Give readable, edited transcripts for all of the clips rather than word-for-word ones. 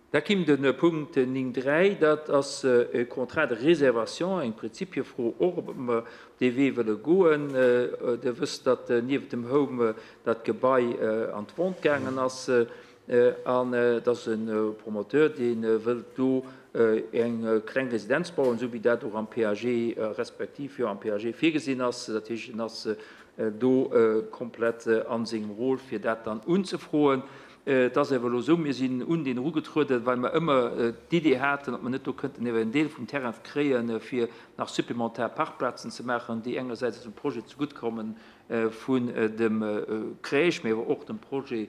Da kimm de Punkt 9, 3, dat ass e Contrat de réservation, eng Prinzipiefro och, ob mer dee Wee wëlle goen. Dir wësst, datt nieft dem Home dat Gebai an d'Vente gaangen ass an et ass e Promoteur, dee wëllt do eng kleng Residenz bauen, esou wéi dat och am PAG respektiv, jo, am PAG virgesinn ass. Dat heescht, en ass do komplett a sengem Rôle, fir dat dann unzefroen. Et ass awer elo esou, mir sinn un deen erugetrueden, well mer ëmmer d'Idee haten, ob mer net do kënnten ewer en Deel vum Terrain kréien, fir nach supplementar Parkplazen ze maachen, déi engersäits eisem Projet zeguttkomme vun dem Crèche, mee awer och dem Projet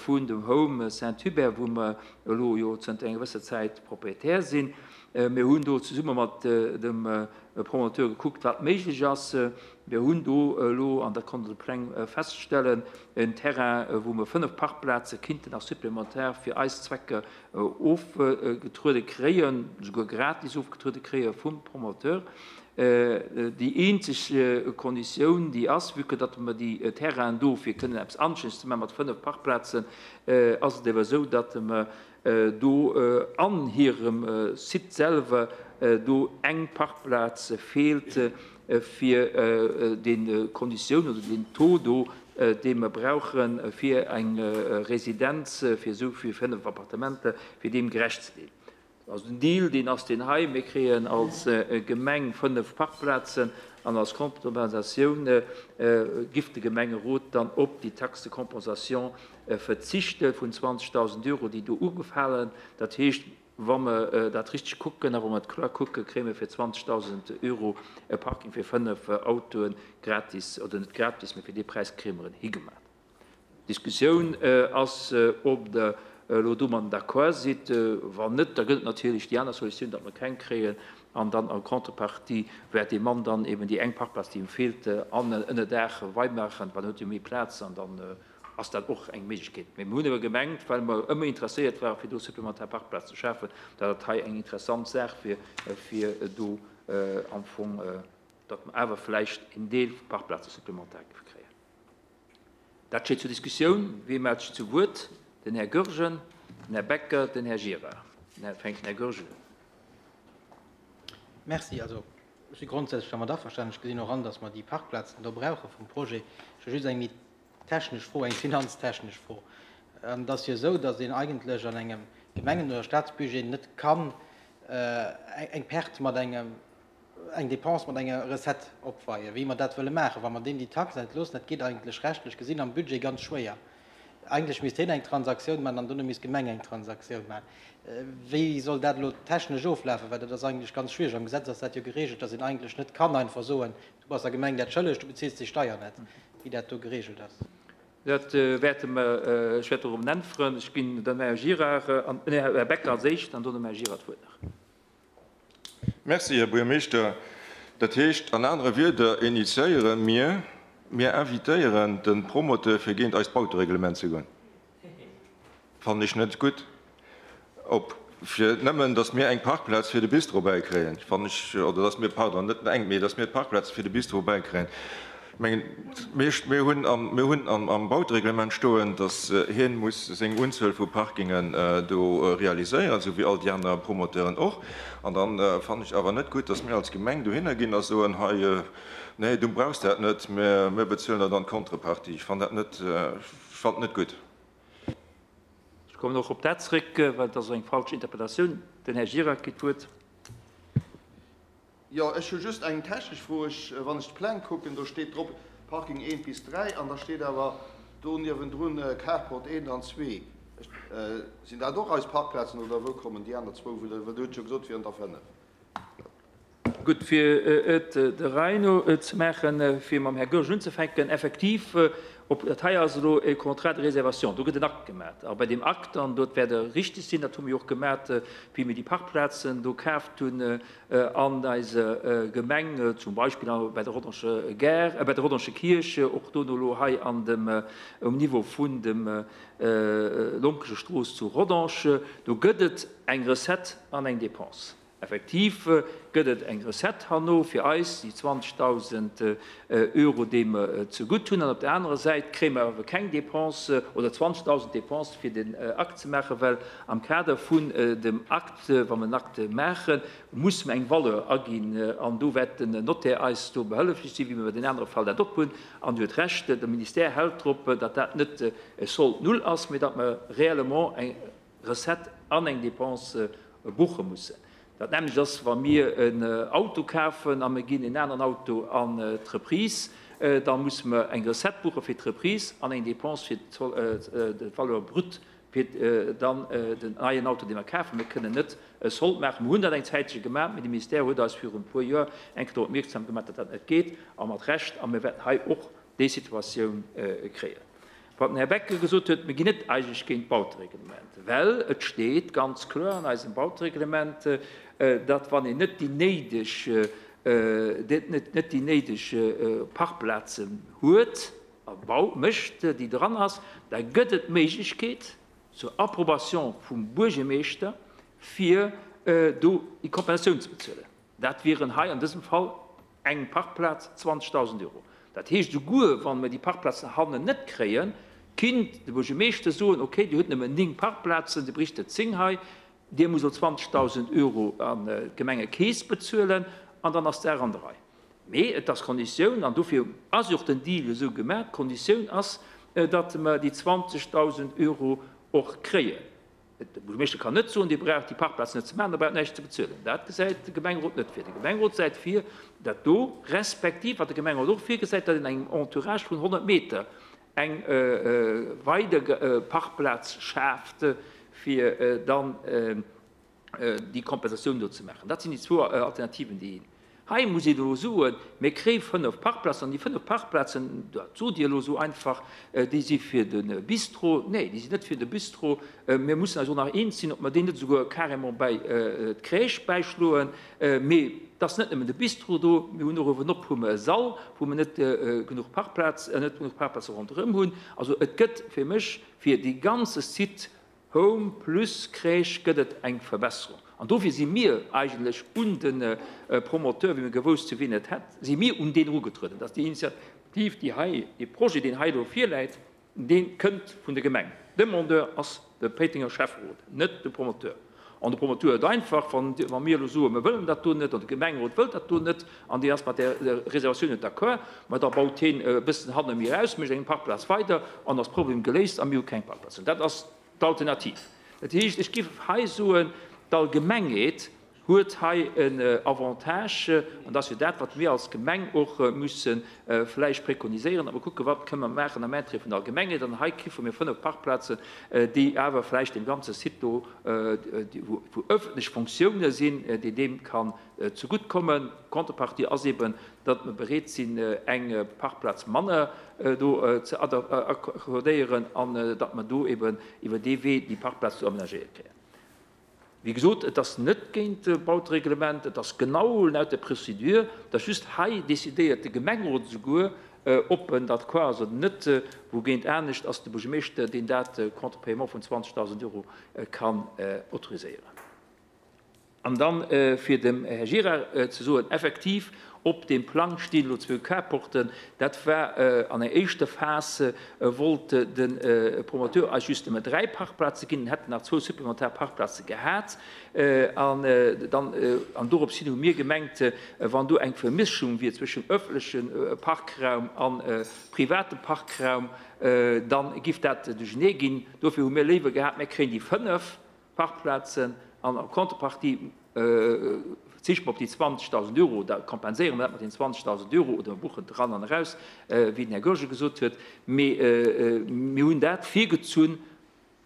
vun dem Home Saint-Hubert, wou mer elo jo zënter enger gewësser Zäit Propriétaire sinn. Mir hunn do zesumme mat dem Promoteur gekuckt, wat méiglech ass. Mir hunn do elo, an dat konnt Der de Pläng feststellen, en Terrain, wou mer 5 Parkplaze kinnten nach supplémentaire fir eis Zwecker ofgetruede kréien, souguer gratis ofgetruede kréie vum Promoteur. Déi eenzeg Konditioun, déi ass, vue que datt mer déi Terrainen do fir kënnen eppes anstänneg ze maachen mat 5 Parkplazen, ass et ewer esou, datt mer do an hirem Site selwer do eng Parkplaz feelt, fir déi Konditioun oder deen Taux do, dee mer brauche fir eng Residenz fir esou vill 5 Appartementer, fir deem gerecht ze ginn. Also den Deal, deen ass deen hei, Mir kréien als Gemeng 5 Parkplazen an als Kompensatioun giff de Gemengerot dann op déi Taxe de compensation verzichte vun 20.000 Euro, déi do ugefalen. Dat heescht, wa mer dat richteg kucken a wa mer et kloer kucken, kréie mer fir 20.000 Euro e Parking fir 5 Autoe gratis, oder net gratis, mä fir dee Präis kréie mer en higemat. D'Diskussioun ass, ob Der elo domadden d'accord sidd. Wann net, da gëtt et natierlech déi aner Solutioun, datt mer keng kréien an dann en contrepartie wäert dee Mann dann eben déi eng Parkplaz, déi him feelt, an Ënnerdaach weimaachen, well en huet jo méi Plaz an dann ass dat och eng Méiglechkeet. Mee mir hunn awer gemengt, well mer ëmmer interesséiert waren, fir do supplementar Parkplazen ze schafen, datt dat hei eng interessant Saach wier, fir do am Fong, datt mer awer vläicht en Deel vu Parkplaze supplementar géife kréien. Dat steet zur Diskussioun. Wee mellt sech zu Wuert? Den Här Goergen, den Här Becker, den Här Gira. Da fänkt den Här Goergen un. Merci. Also, ech si grondsätzlech dermat averstanen. Ech gesinn och an, datt mer déi Parkplazen do brauche vum Projet. Ech hu just eng méi technesch Fro, eng finanztechnesch Fro. Et ass jo esou, datt een eigentlech an engem Gemengen oder Staatsbudget net kann eng Perte mat engem, eng Dépense mat enger Recette opweien, wéi mer dat wëlle maachen, wa mer deem déi Tax entloossen. Dat geet eigentlech rechtlech gesinn am Budget ganz schwéier. Eigentlech misst hien eng Transaktioun maachen an dono misst d'Gemeng eng Transaktioun maachen. Wéi soll dat elo technesch oflafen? Well dat ass eigentlech ganz schwiereg. Am Gesetz ass dat jo geregelt, datt een eigentlech net kann einfach soen, Du bass der Gemeng dat schëlleg, du bezills déi Steier net, wéi dat do geregelt ass. Dat wäerte mer, ech wäert dorop äntweren. Ech ginn dem Här Gira an, nee, Här Becker als éischt an dono dem Här Gira d'Wuert nach. Merci, Här Buergermeeschter. Dat heescht an anere Wierder, initiéiere mir, mir invitéieren de Promoteur, fir géint eist Bautereglement ze goen. Fannen ech net gutt. Op fir nëmmen, datt mir eng Parkplaz fir de Bistro bäikréien, fannen ech, oder datt mir, pardon, net eng, mee datt mir d'Parkplaze fir de Bistro bäikréien. Ech mengen, mir, mir hunn am, mir hunn am, am Bautereglement stoen, datt hien muss seng Unzuel vu Parkingen do realiséieren, esou wéi all déi aner Promoteuren och. An dann fannen ech awer net gutt, datt mir als Gemeng dohinner ginn a soen, hei, nee, du brauchs dat net, mä mir bezuelen der dann d'Contrepartie. Ech fannen dat net, ech fannen et net gutt. Ech kommen och op dat zréck, well et ass eng falsch Interpretatioun. Den Här Gira kritt d'Wuert. Jo, ech hu just eng technesch Fro. Ech, wann ech d'Pläng kucken, do steet drop Parking 1 bis 3 an da steet awer do niewendrun Carport 1 an 2. Sinn dat och eis Parkplazen oder wou kommen déi aner zwou? Well Der hutt jo gesot, et wieren der 5. Gutt, fir et der Rei no ze maachen, fir mam Här Goergen unzefänken, Effektiv, op dat hei ass elo e Contrat de réservation, do gëtt en Akt gemat. A bei deem Akt, an dot wäert Der richtig sinn, dat hu mir jo och gemat, wéi mir déi Parkplazen do kaaft hunn an eiser Gemeng, zum Beispill bei der Rodange Gare, bei der Rodange Kierch, och dono elo hei an dem, um Niveau vun dem Lonkeschestrooss zu Rodange, do gëtt et eng Recette an eng Dépense. Effektiv gëtt et eng Recette herno fir eis, déi 20.000 Euro, déi mer zegutt hunn. An op der anerer Säit kréie mer awer keng Dépense oder 20.000 Dépense fir den Akt ze maachen, well am Kader vun dem Akt, wa mer en Akt maachen, musse mer eng Valeur aginn. An do wäert den Notaire eis do behëlleflech sinn, wéi mer bei den anere Fall dat och hunn. An Dir hutt Recht, de Ministère hält drop, datt dat net e Solde null ass, mee datt mer réellement eng Recette an eng Dépense buche mussen. Dat nämmlecht ass, wa mir en Auto kafen a mir ginn en aneren Auto an d'Reprise, da musse mer eng Recette buche fir d'Reprise an eng Dépense fir d'Valeur brute fir dann den neien Auto, dee mer kafen. Mir kënnen net e Solde maachen. Mir hunn dat eng Zäitche gemaach, mee de Ministère huet eis virun e puer Joer eng Kéier drop opmierksam gemaach, datt dat net geet, a mat Recht. A mir wäerten hei och déi Situatioun kréien. Wat den Här Becker gesot huet, mir ginn net eigentlech géint d'Bautereglement, well et steet ganz kloer an eisem Bautereglement, datt wann een net déi néideg, net déi néideg Parkplazen huet a bau mécht, déi dran ass, da gëtt et d'Méiglechkeet zur Approbation vum Buergermeeschter, fir do déi Kompensatioun ze bezuelen. Dat wieren hei an dësem Fall eng Parkplaz 20.000 Euro. Dat heescht, esouguer wa mer déi Parkplazen hannen net kréien, kinnt de Buergermeeschter soen, okay, Dir hutt nëmmen 9 Parkplazen, Dir bréicht der 10 hei, Dir musst elo 20.000 Euro an d'Gemengekeess bezuelen an dann ass d'Saach an der Rei. Mee et ass d'Konditioun, an dofir ass jo och den Deal esou gemaach, d'Konditioun ass, datt mer déi 20.000 Euro och kréien. De Buergermeeschter kann net soen, Dir braucht déi Parkplaz net ze maachen, Der braucht näischt ze bezuelen. Dat gesäit de Gemengerot net vir. De Gemengerot säit vir, dat do, respektiv wat de Gemengerot och virgesäit, datt een engem Entourage vun 100 Meter eng weider Parkplaz schaaft, fir dann déi Kompensatioun do ze maachen. Dat sinn déi zwou Alternativen, déi een. Hei muss een elo soen, mir kréie 5 Parkplazen, an déi 5 Parkplazen, dat sot Dir elo esou einfach, déi si fir de Bistro. Nee, déi sinn net fir de Bistro. Mir mussen eis och nach eens sinn, ob mer déi net esouguer carrément bäi d'Crèche bäischloen. Mee et ass net nëmmen de Bistro do, mir hunn och uewenop hu mer e Sall, wou mer net genuch Parkplaz, net genuch Parkplaze ronderëm hunn. Also et gëtt fir mech fir dee ganze Site Home plus Crèche gëtt et eng Verbesserung. An dofir si mir eigentlech un de Promoteur, wéi mir gewousst hu wien et hätt, si mir un deen erugetrueden. Dass déi Initiativ, déi hei, dee Projet, deen hei elo virläit, dee kënnt vun der Gemeng. Demandeur ass de Péitenger Schäfferot, net de Promoteur. An de Promoteur huet einfach, wa mir elo soen, mir wëllen dat do net, an de Gemengerot wëllt dat do net, an deen ass mat där Reservatioun net d'accord, ma da baut heen e bëssen hanne méi eraus, mécht eng Parkplaz weider, an ass Problem geléist a mir hu keng Parkplazen. Dat ass d'Alternativ. Dat heescht, ech géif hei soen, d'Allgemengheet huet hei en Avantage, an dat ass jo dat, wat mir als Gemeng och musse vläicht prekoniséieren, datt mer kucken, wat kënne mer maachen am Intérêt vun der Allgemengheet. An hei kiffe mir 5 Parkplazen, déi awer vläicht deem ganze Site do, wou öffentlech Fonctiounen sinn, déi deem kann zegutt kommen. D'Contrepartie ass eben, datt mer bereet sinn, eng Parkplaz manner do ze accordéieren an datt mer do eben iwwer dee Wee déi Parkplaz do amenagéiert kréien. Wéi gesot, et ass net géint d'Bautereglement, et ass genau laut der Procédure, et ass just hei decidéiert de Gemengerot esouguer, ob en d'accord ass oder net, wougéint anescht ass de Buergermeeschter, deen dat contre paiement vun 20.000 Euro kann autoriséieren. An dann, fir dem Här Gira ze soen, effektiv, op deem Plang stinn elo zwou Carporten. Dat war an enger éischter Phas, wollt de Promoteur eis just nëmme 3 Parkplaze ginn, en hätt nach zwou supplementar Parkplaze gehat. An dann, an dorops hin hu mir gemengt, wann do eng Vermischung wier zwëschen öffentleche Parkraum a private Parkraum, da giff dat duerchenee ginn. Dofir hu mir léiwer gehat, mir kréien déi 5 Parkplazen an en Contrepartie verzichte mer op déi 20.000 Euro, da kompenséiere mer dat mat den 20.000 Euro oder mer buchen dran an eraus, wéi den Här Goergen gesot huet. Mee mir hunn dat virgezunn,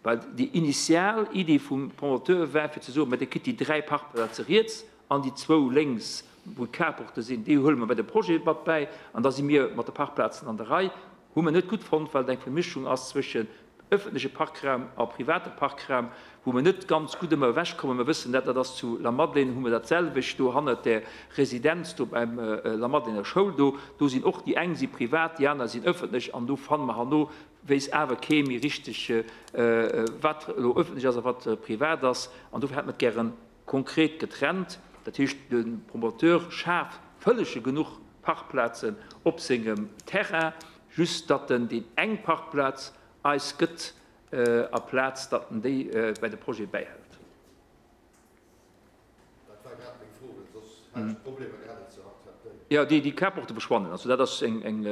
well déi initial Iddi vum Promoteur war fir ze soen, mä Dir kritt déi 3 Parkplaze riets an déi zwou lénks, wou d'Carporte sinn, déi huele mer bei de Projet mat bäi an da si mir mat de Parkplazen an der Rei. Hu mer net gutt fonnt, well et eng Vermischung ass zwëschen öffentleche Parkraum a private Parkraum, wou mer net ganz gutt ëmmer ewechkommen. Mer wëssen dat, dat ass zu Lamadelaine, hu mer dat selwecht do hannert där Residenz do beim Lamadelainer Schoul do. Do sinn och, déi eng si privat, déi aner sinn öffentlech an do fanne mer herno, weess awer kee méi richteg, wat elo öffentlech ass a wat privat ass. An dofir hätte mer et gären. konkret getrennt. Dat heescht, de Promoteur schaaft vëllege genuch Parkplazen op sengem Terrain, just datt en déi eng Parkplaz eis gëtt, aplaz datt en déi bei de Projet bäihält. Dat war grad meng Fro, well soss hätt ech Problemer gehat, et ze akzeptéieren. Jo, déi Carporte verschwannen. Also dat ass eng, eng,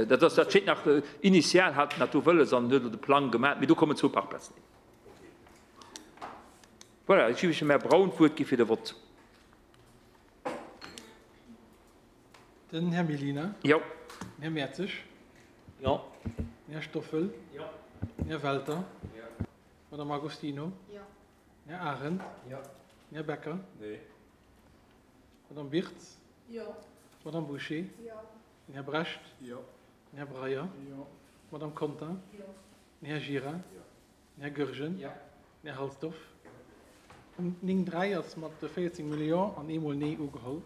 dat ass, dat steet nach, initial hat en dat do wëlles an huet elo de Plang gemaach, mee do kommen zwou Parkplazen hin. Voilà, ech géif dem Här Braun d'Wuert gi fir de Vott. Den Här Mellina. Jo. Den Här Mertzig. Jo. Den Här Stoffel. Jo. Den Här Welter. Jo. D'Madame Agostino. Jo. Den Här Arendt. Jo. Den Här Becker. Nee. D'Madame Birtz. Jo. D'Madame Bouché. Jo. Den Här Brecht. Jo. Den Här Breyer. Jo. D'Madame Conter. Jo. Den Här Gira. Jo. Den Här Goergen. Jo. Den Här Halsdorf. Punkt 9, 3 ass mat 14 mol Jo an eemol Nee ugeholl.